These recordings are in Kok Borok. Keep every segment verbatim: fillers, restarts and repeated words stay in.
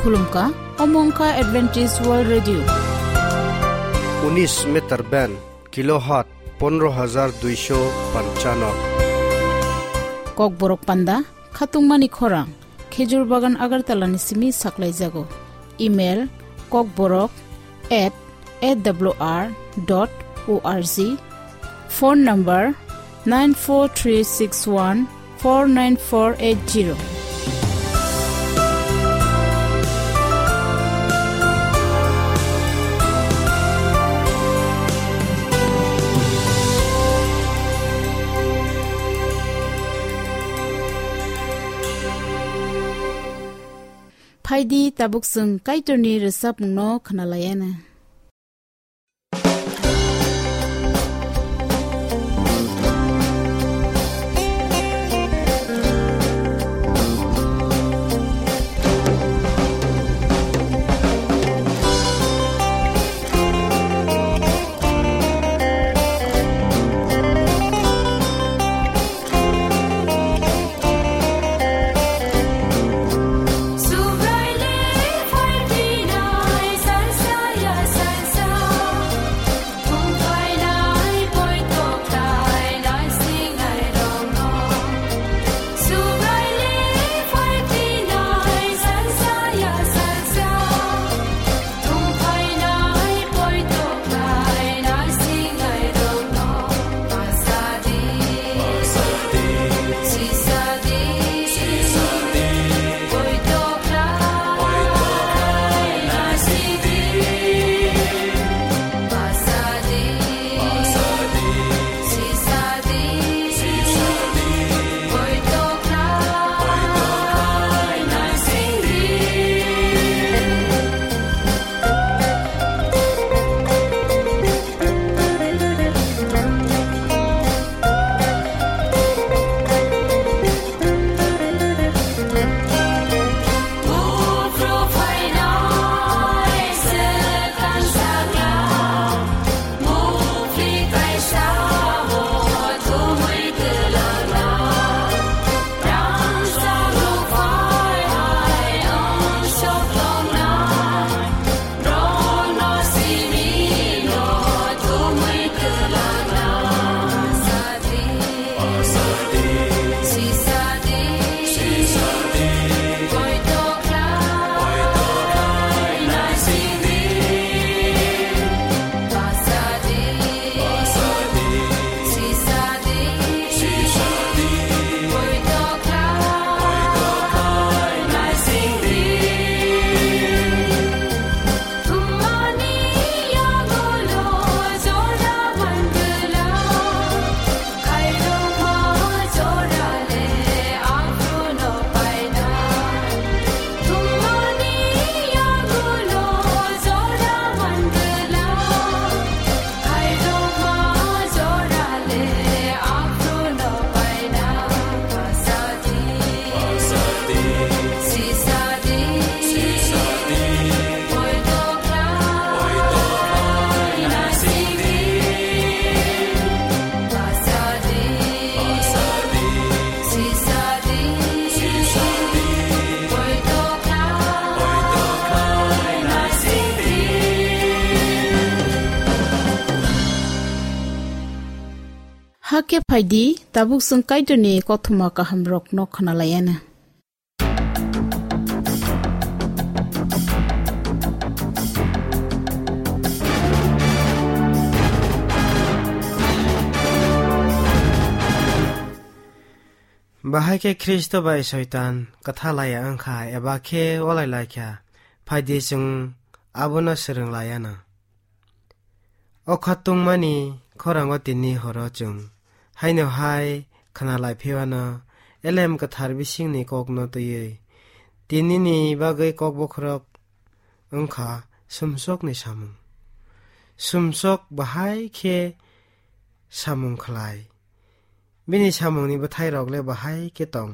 Khulumkha, omo wngkha Adventist World Radio. Unis meter band, kilohertz pondro hajar duisho panchano. Kokborok panda, khatungmani khorang, Khejur Bagan Agartala ni simi saklaijago. Email, kokborok at A W R dot O R G. Phone number nine four three six one four nine four eight zero. Phaidi tabuk chwng Kaitorni rwchapmungno khwnalaiana. Hakhe phaidi, tabuk chwng Kaitorni kothoma kahamrokno khwnalaiana. Bahai khe Khristo bai Soitan kwtha laiya wngkha eba khe walai laikha, phaidi chwng abono swrwng laiana. O khatungmani khorango tini horo chwng haino hai khwnalai phiwano Elem Kwthar bisingni kokno twiwi tinini bagwi kok bokhorok wngkha sumsokni samung. Sumsok bahai khe samung khlai. Bini samungni bwthairok le bahai khe tong.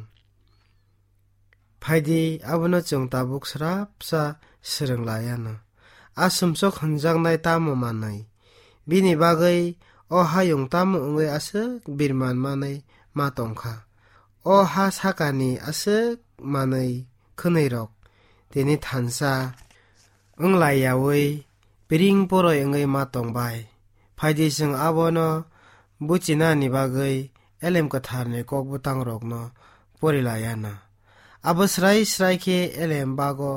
Phaidi, abono chwng tabuk srapsa swrwng laiano. A sumsok hwnjaknai tamo manwi? Bini bagwi o hayung tamo wngwi aswk birman manwi ma tongkha? O ha sakani aswk manwi khwnwirok tini thansa wng lai yaui piring poroi wngwi ma tong bai. Phaidi chwng abono buchinani bagwi Elem Kwtharni kok bwtangrokno pori lai anw. Abo srai srai khe Elem bago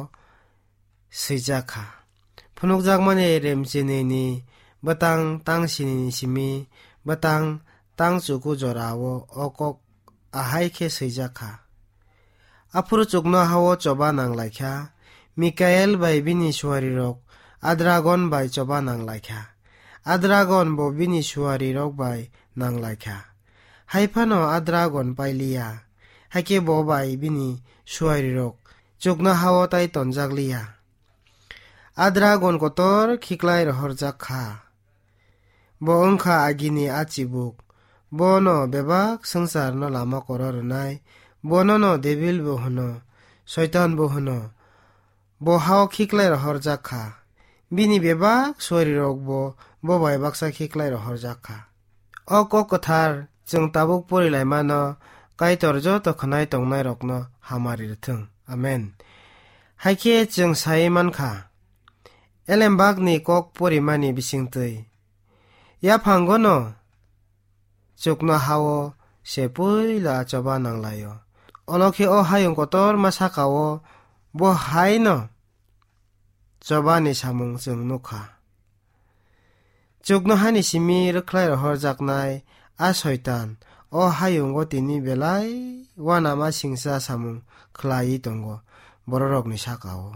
swijak kha. Phunukjakmani remchinini bwtang tang sinini simi bwtang tang chuku jorao o kok ahai khe swijak kha. Aphuru chuknoha-o choba nang lai kha. Mikael bai bini suarirok a dragon bai choba nang lai kha. A dragon bo bini suarirok bai nang lai kha. Hai phano a dragon pai li ya. Hakhe bo bai bini suarirok chuknoha-o tai tonjak li ya. A dragon kotor khiklai rohorjak kha. Bo wng kha agini a chibuk. Bono bebak swngcharno lama koro rwnai. Bonono Debil bo hwno, Soitan bo hwno. Bo ha-o khiklai rohorjak kha. Bini bebak suarirokbo bo bai baksa khiklai rohorjak kha. O kok kwthar chwng tabuk pori laimano Kaitor joto khwnai tongnairokno hamari rwthwng. Amen. Hakhe chwng sai man kha, Elembakni kok porimani bisingtwi yaphangono chuknoha-o se puila choba nang lai-o. Olo khe o hayung kotorma saka-o bo hai-no chobani samung chwng nuk kha. Chuknohani simi rwkhlai rohorjaknai a Soitan o hayungo tini belai uanama singcha samung khlaiwi tongo bororokni saka-o.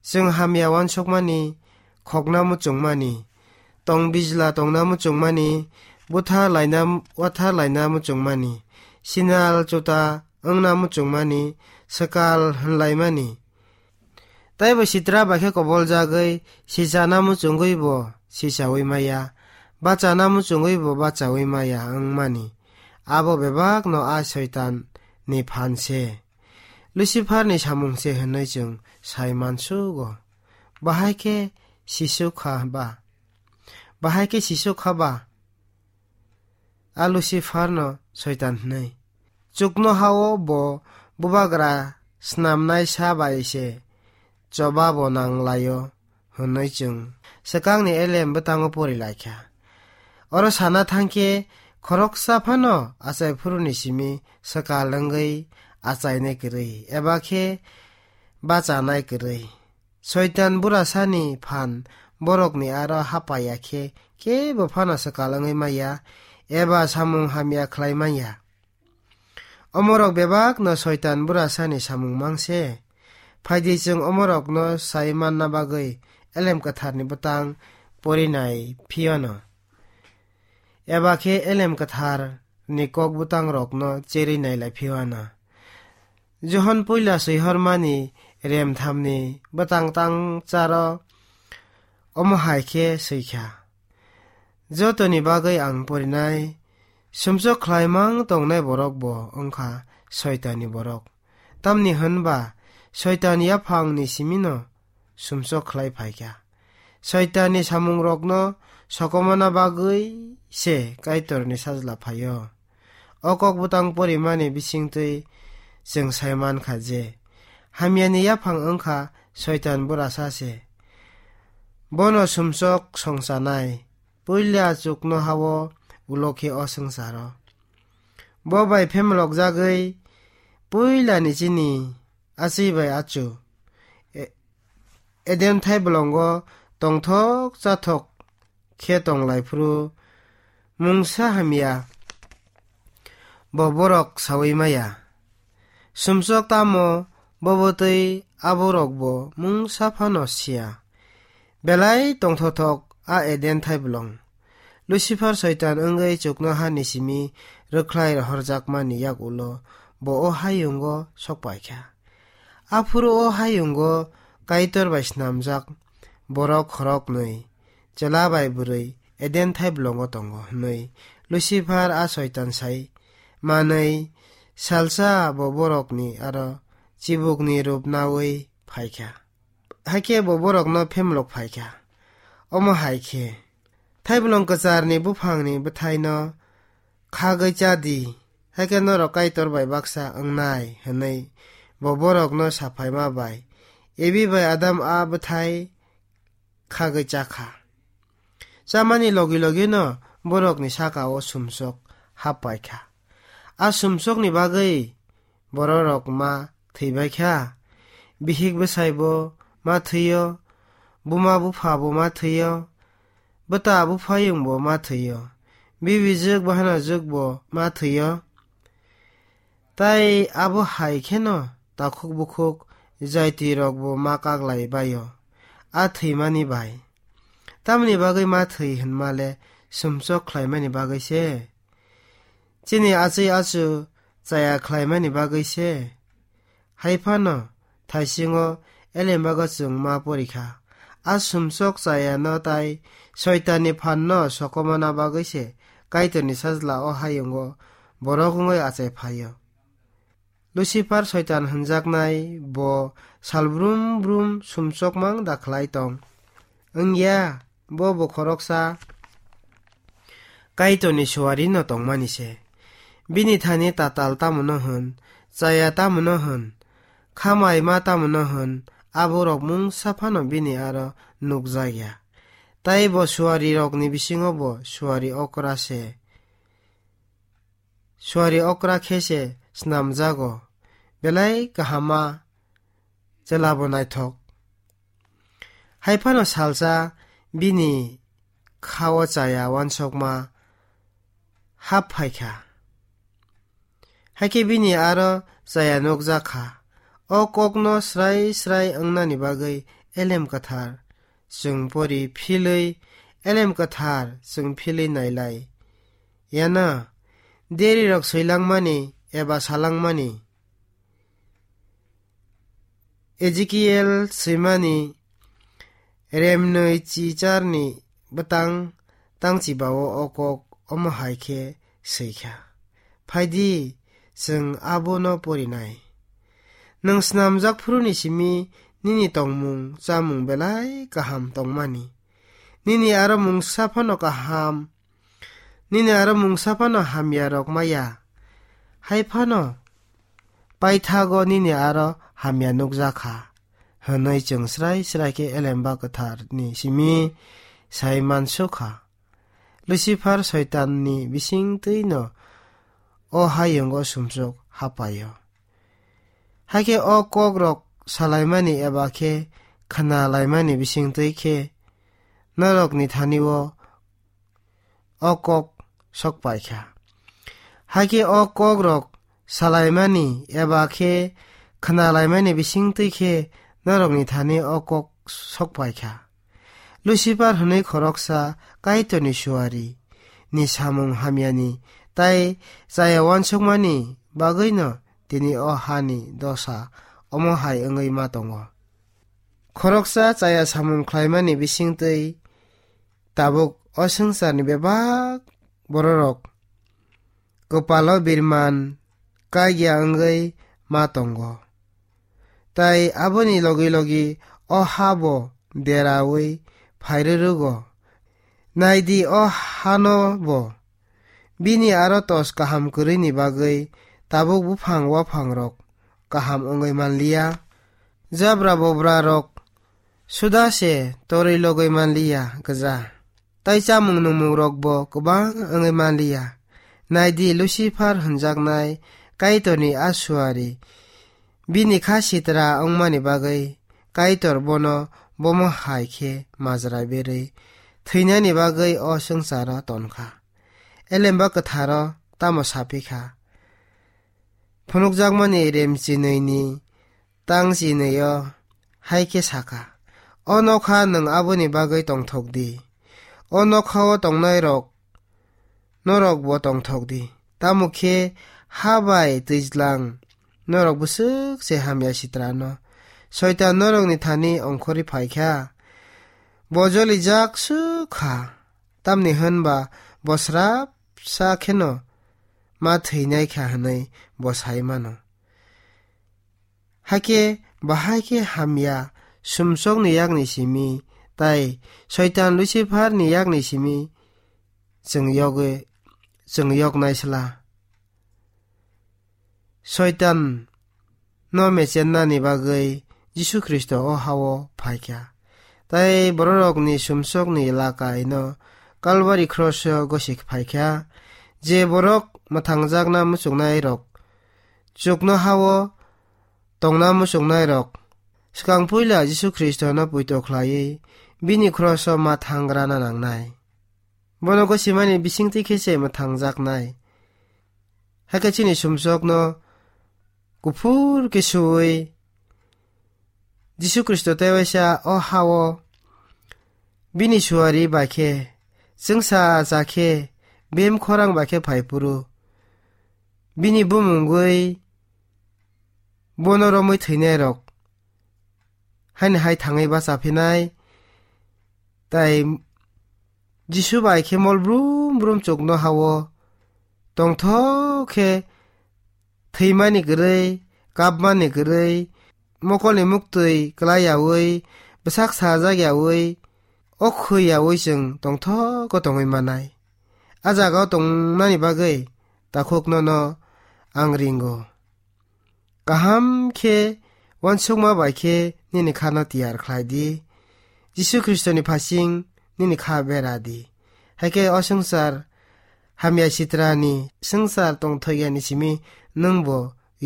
Chwng hamya uansukmani, khokna muchungmani, tong bijla tongna muchungmani, buthar laina, uathar laina muchungmani, sinal chuta wngna muchungmani, swkal hwnlaimani, taibo sitra bai khe koboljagwi sichana muchungwi bo sichawi maya, bachana muchungwi bo bachawi maya wngmani, abo bebakno a Soitan ni phan se, Lucifer ni samung se hwnwi chwng sai mansugo. Bahai khe sisuk kha ba? Bahai khe sisuk kha ba? A Lucifer no Soitan hwnwi. Chuknoha-o bo bubagra snamnai sa bai se choba bo nang lai-o hwnwi chwng swkangni Elem bwtango pori lai kha. Oro sana thang khe khoroksa phano achai phuruni simi swkal wngwi achainai kwrwi eba khe bachanai kwrwi. Soitan burasani phan borokni aro hapaiya khe kebo phano swkal wngwi maya eba samung hamya khlai manya. Omorok bebakno Soitan burasani samung mang se. Phaidi chwng omorokno sai manna bagwi Elem Kwtharni bwtang porinai phiyano. Eba khe Elem Kwtharni kok bwtangrokno cherwi nailai phiyano. Johon puila swihormani remthamni bwtang tang charo omo hai khe swikha. Jotoni bagwi ang porinai, sumsok khlaimang tongnai borok bo wngkha Soitanni borok. Tamni hwnba Soitan yaphangni simino sumsok khlai phaikha. Soitanni samungrokno sokomona bagwi se Kaitorni sajla phaio. O kok bwtang porimani bisingtwi chwng sai mankha je, hamyani yaphang wngkha Soitan burasa se. Bono sumsok songchanai, puila chuknoha-o ulo khe o swngcharo. Bo bai phemlokjagwi puilani chini achwi bai achu, E-, Eden thaibolongo tongthok chathok khe tonglai phuru mungsa hamya bo borok saui maya. Sumsok tamo bobo twi aborok bo mungsa phano siya. Belai tongthothok a Eden thaibolong. Lucifer Soitan wngwi chuknohani simi rwkhlai rohorjakmani yak ulo bo o hayungo sokpaikha. Aphuru o hayungo Kaitor bai snamjak borok khoroknwi, chwla bai bwrwi Eden thaibolongo tongo hwnwi Lucifer a Soitan sai manwi salsa bo borokni aro chibukni rup naui phaikha. Hakhe bo borokno phemlok phaikha. Omo hai khe, thaibolong kwcharni buphangni bwthaino khagwi cha di, hakhe norok Kaitor bai baksa wngnai, hwnwi bo borokno saphaima bai Evi bai Adam a bwthai khagwi chakha. Chamani logi logino borokni saka-o sumsok hap paikha. A sumsokni bagwi bororok ma thwibaikha. Bihik bwsaibo ma thwio, buma buphabo ma thwio, bwta buphayungbo ma thwio, bibijwk bahanajwkbo ma thwio. Tai abo hai kheno takhuk bukhuk jaitirokbo ma kaklai baio, a thwimani bai. Tamoni bagwi ma thwi hwnmale sumsok khlaimani bagwi se. Chini achwi achu chaya khlaimani bagwi se. Hai phano thaisingo elembago chwng ma porikha. A sumsok chayano tai Soitanni phanno sokomona bagwi se Kaitorni sajla o hayungo borok wngwi achai phaio. Lucifer Soitan hwnjaknai bo salbrum brum sumsokmang da khlai tong. Wngya, bo bo khoroksa Kaitorni suarino tongmani se. Bini thani tatal tamono hwn, chaya tamono hwn, khamaima tamono hwn, aborok mungsa phano bini aro nukjakya. Tai bo suarirokni bisingo bo suari okra se. Suari okra khe se snamjago, belai kahama chwlabo naithok. Hai phano salsa bini khao chaya uansukma hap phaikha. Hakhe bini aro chaya nukjakha. O kokno srai srai wngnani bagwi elem kwthar chwng pori philwi, elem kwthar chwng philwi nailai. Yana, derirok swilangmani eba salangmani, Ezekiel swimani remnwi chicharni bwtang tangchibao o kok omo hai khe swikha. Phaidi, chwng abono porinai. Nwng snamjak phuruni simi nini tongmung chamung belai kaham tongmani. Nini aro mungsa phano kaham, nini aro mungsa phano hamya rok maya. Hai phano paithago nini aro hamya nukjakha, hwnwi chwng srai srai khe elemba kwtharni simi sai mansukha. Lucifer Soitanni bisingtwino o hayungo sumsok hapaio. Hakhe o kokrok salaimani eba khe khnalaimani bisingtwi khe norokni thani-o o kok sok paikha. Hakhe o kokrok salaimani eba khe khnalaimani bisingtwi khe norokni thani o kok sok paikha. Lucifer hwnwi khoroksa Kaitorni suari ni samung hamyani tai chaya uansukmani bagwino tini o hani dosa omo hai wngwi ma tongo. Khoroksa chaya samung khlaimani bisingtwi tabuk o swngcharni bebak bororok kwpalo birman kagya wngwi ma tongo. Tai aboni logi logi o ha bo deraui phairwrwgo. Naidi, o hano bo bini aro tos kaham kwrwini bagwi tabuk buphang waphangrok kaham wngwi manliya. Jabra bobrarok suda se torwi logwi manliya gwja, tai chamung nungmungrokbo kwbang wngwi manliya. Naidi, Lucifer hwnjaknai Kaitorni a suari bini kha sitra wngmani bagwi Kaitor bono bomo hai khe majra berwi thwinani bagwi o swngcharo tonkha. Elemba kwtharo tamo saphi kha? Phunukjakmani rem chinwini tang chinwi-o hai khe sakha, "O nokha nwng aboni bagwi tongthok di. O nokha-o tongnairok norokbo tongthok di. Tamo khe ha bai twijlang norok bwswk se hamya sitrano. Soitan norokni thani ongkhorwi phai kha. Bo jolijak swk kha, tamni hwn ba bo srapsa kheno ma thwinai kha," hwnwi bo sai mano. Hakhe bahai khe hamya sumsokni yakni simi tai Soitan Luciferni yakni simi chwng yogwi, chwng yoknai sla. Soitan no mechennani bagwi Jisu Khristo o ha-o phaikha. Tai bororokni sumsokni elaka ino Kalbari kroso gosik phaikha. Je borok mwthangjakna muchungnairok, chukno ha-o tongna muchungnairok, swkang puila Jisu Khristono poito khlaiwi bini kroso ma thangrana nangnai. Bono gosimani bisingtwi khe se mwthangjaknai. Hakhe chini sumsokno kuphur khe suwi Jisu Khristo tewaisa o ha-o bini suari bai khe, chwngsa cha khe, bem khorang bai khe phai phuru, bini bumungwi bono romwi thwinairok haini hai thangwi bacha phinai. Tai Jisu bai khe mol brum brum chukno ha-o tongthok khe thwimani kwrwi, kapmani kwrwi, mokolni muktwi klai yaui, bwsak sajak yaui, o khwi yaui chwng tongthok o tongwi manai. A jaga o tongnani bagwi takhukno no ang ringo. Kaham khe uansukma bai khe nini khano tiyar khlai di. Jisu Khristoni phasing nini kha bera di. Hai khe o swngchar hamya sitrani swngchar tongthokyani simi nwng bo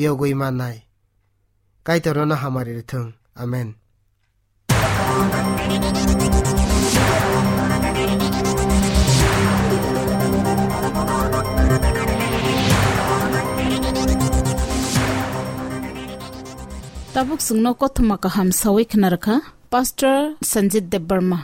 yogwi mannai. Kaitor nono hamari rwthwng. Amen. Tabuk chwngno kothoma kaham sawi khna rwkha Pastor Sanjit Debbarma.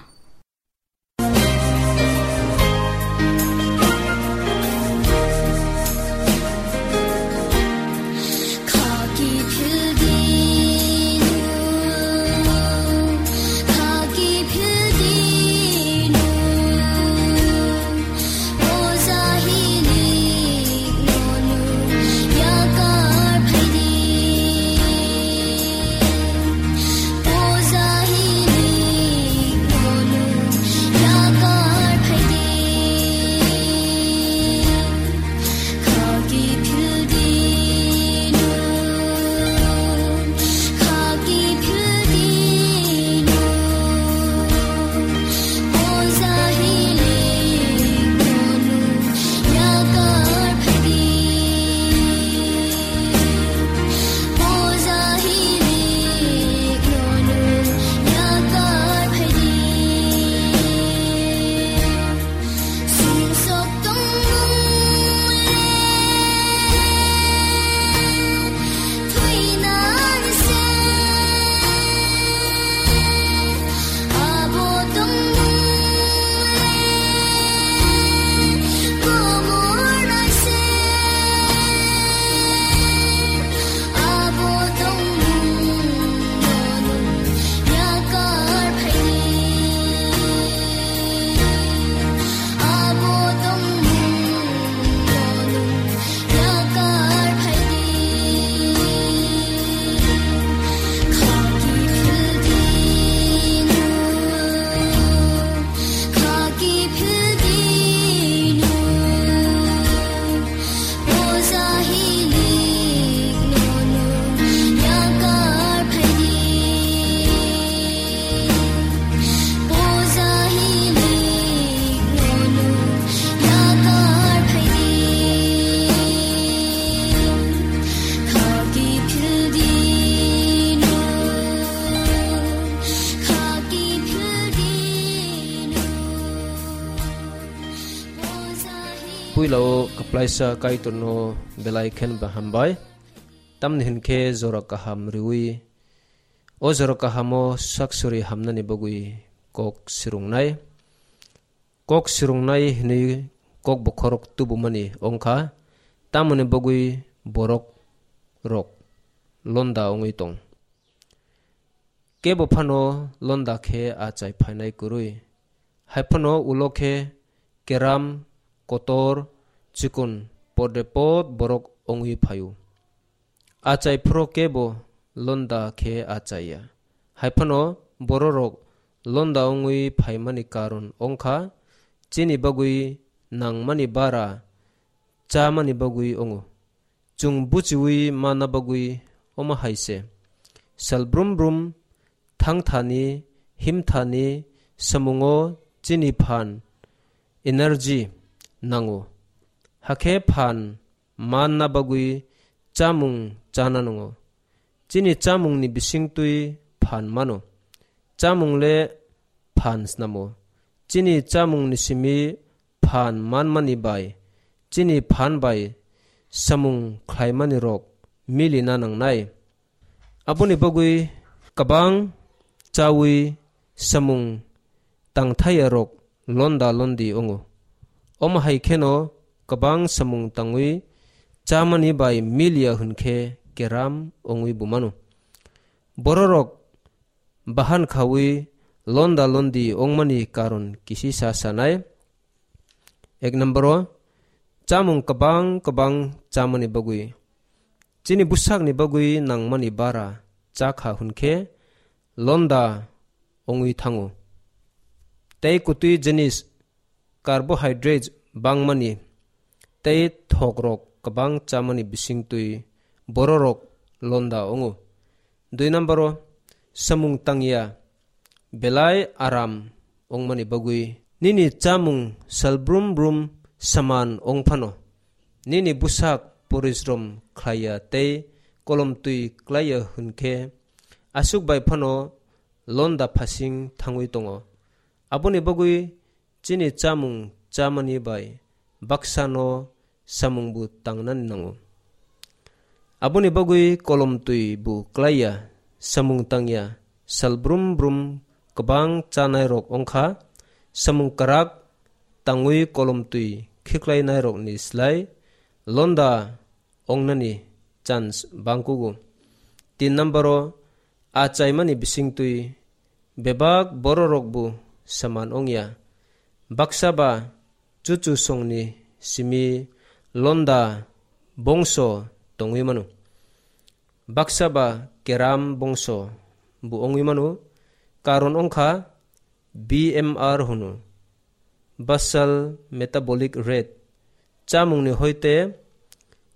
Puila o kwplaisa Kaitorno belai khen ba hambai. Tamni hinkhe jora kaham riwi, o jora kahamo sak suri hamnani bagwi kok swrwngnai. Kok swrwngnai hwnwi kok bokhorok tubumani wngkha, tamoni bagwi borok rok londa wngwi tong. Kebo phano londa khe achai phainai kwrwi. Hai phano ulo khe keram, kotor, chikon, podrepot borok wngwi phaio. Achai phro kebo londa khe achaiya. Hai phano bororok londa wngwi phaimani karon wngkha, chini bagwi nangmani bara chamani bagwi wngo. Chwng buchiwi mana bagwi omo hai se. Sal brum brum thangthani, himthani samungo chini phan, energy, nango. Hakhe phan manna bagwi chamung chana nango. Chini chamungni bisingtwi phan mano. Chamung le phan snamo. Chini chamungni simi phan manmani bai, chini phan bai samung khlaimani rok milina nangnai. Aboni bagwi kwbang chawi samung tangthaya rok londa londi ongo. Omo hai kheno kwbang samung tangwi chamani bai miliya hwnkhe keram ongwi bumano. Bororok bahan khawi londa londi ongmani karon kisisa sanai. Ek number o, chamung kwbang kwbang chamani bagwi, chini bwsakni bagwi nangmani bara chakha hwnkhe londa ongwi thango. Tei kwtwi jinis, carbohydrates bangmani tei thokrok kwbang chamani bisingtwi bororok londa ongo. Dui number o, samung tangya belai aram ongmani bagwi nini chamung sal brum brum saman ong phano, nini bwsak porisrom khlaiya tei kolomtwi klaiya hwnkhe aswk bai phano londa phasing thangwi tongo. Aboni bagwi chini chamung chamani bai baksano samungbo tangnani nango. Aboni bagwi kolomtwi bo klaiya, samung tangya, sal brum brum kwbang chanairok ongkha, samung kwrak tangwi kolomtwi khiklainairokni slai londa ongnani chance bangkugo. Tin number o, a chaimani bisingtwi bebak bororokbo saman ongya. Baksa ba chuchu songni simi londa bongso tongwi mano. Baksa ba keram bongso bo ongwi mano. Karon ongkha B M R hwno, basal metabolic rate, chamungni hoite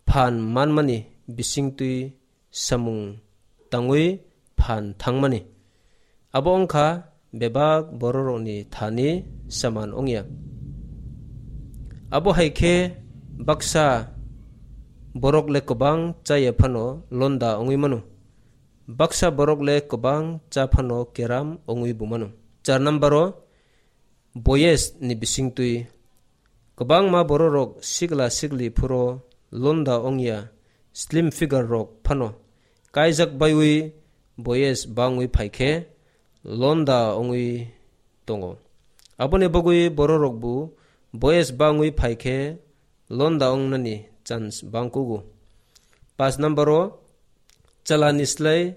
phan manmani bisingtwi samung tangwi phan thangmani. Abo wngkha bebak bororokni thani saman wngya. Abo hai khe baksa borok le kwbang chaya phano londa wngwi mano. Baksa borok le kwbang cha phano keram wngwi bo mano. Char number o, boyes ni bisingtwi kwbangma bororok sikla sikli phuro londa wngya, slim figure rok phano kaijak baiwi boyes bangwi phaikhe londa wngwi tongo. Aboni bagwi bororokbo boyes bangwi phaikhe londa wngnani chance bangkugo. Paanch number o, chalani slai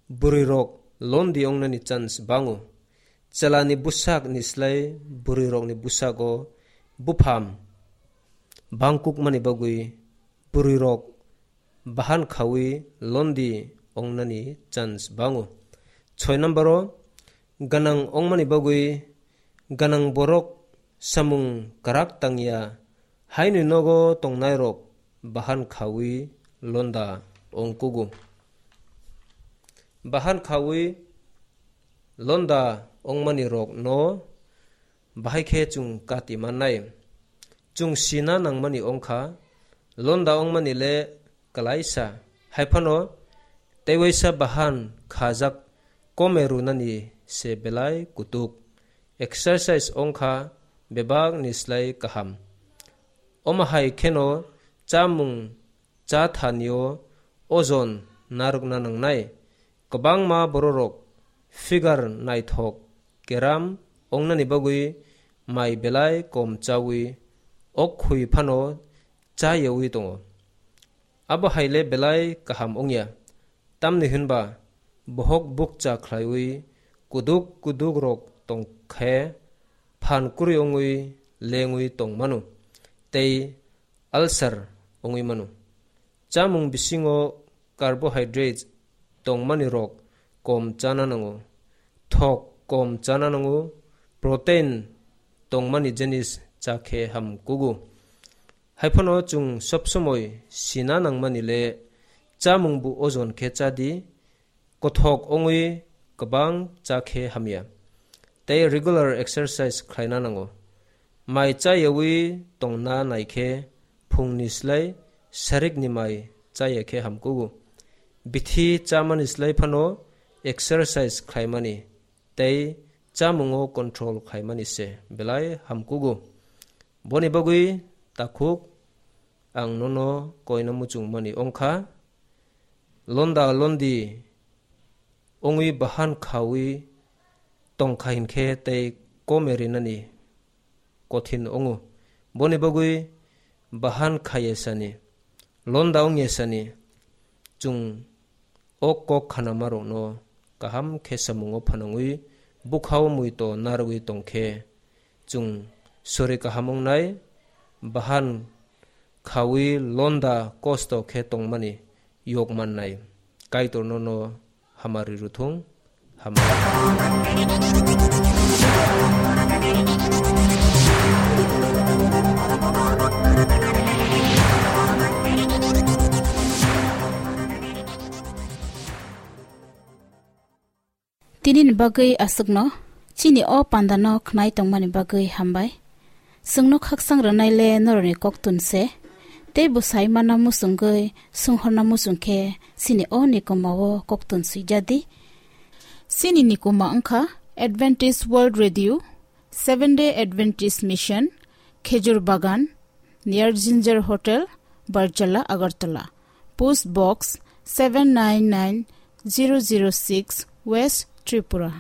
bwrwirok londi wngnani chance bango. Chalani bwsakni slai bwrwirokni bwsago bupham bangkukmani bagwi bwrwirok bahan khawi londi wngnani chance bango. Soi number o, gwnang wngmani bagwi gwnang borok samung kwrak tangya haini nogo tongnairok bahan khawi londa wngkugo. Bahan khawi londa wngmani rokno bahai khe chwng kati mannai. Chwng sina nangmani wngkha, londa wngmani le kwlaisa. Hai phano teiwaisa bahan khajak kome rwnani se belai kutuk. Exercise wngkha bebakni slai kaham. Omo hai kheno chamung cha thanio ojon narwkna nangnai. Kwbangma bororok figure naithok keram wngnani bagwi mai belai kom chawi ok khui phano cha yawi tongo. Abo hai le belai kaham wngya, tamni hwnba bohok bukcha khlaiwi kuduk kuduk rok tong khe phan kwrwi wngwi lengwi tong mano tei ulcer wngwi mano. Chamung bisingo carbohydrates tongmani rok kom chana nango, thok kom chana nango, protein tongmani jinis cha khe ham kugo. Hai phano chwng sob somoi sina nangmani le chamung bo ojon khe cha di, kothok wngwi kwbang cha khe hamya. Tei regular exercise khlaina nango. Mai chayawi tongna nai khe phungni slai sarikni mai chaya khe hamkugo. Bithi chamani slai phano exercise khlaimani tei chamungo control khlaimani se belai hamkugo. Boni bagwi takhuk ang nono koina muchungmani wngkha. Londa londi wngwi bahan khawi tongkha hinkhe tei kome rinani kothin wngo. Boni bagwi bahan khayesani, londa wngyesani chwng o kok khanamarokno kaham khe samungo phanangwi bukhao muito narwgwi tongkhe chwng sori kaham wngnai, bahan khawi londa kosto khe tongmani yok mannai. Kaitorno no hamari ruthung, hamari. Tini ni bagwi aswkno, chini o panda no khnai tongmani bagwi hambai. Chwngno khaksang rwnai le norokni koktun se, tei bwsai mana muchungwi sunghorna muchung khe chini o nikoma o koktun swijadi. Chini nikoma wngkha Adventist World Radio, Seventh Day Adventist Mission, Khejur Bagan, near Ginger Hotel, Barjala, Agartala. Post Box seven nine nine zero zero six, West Tripura.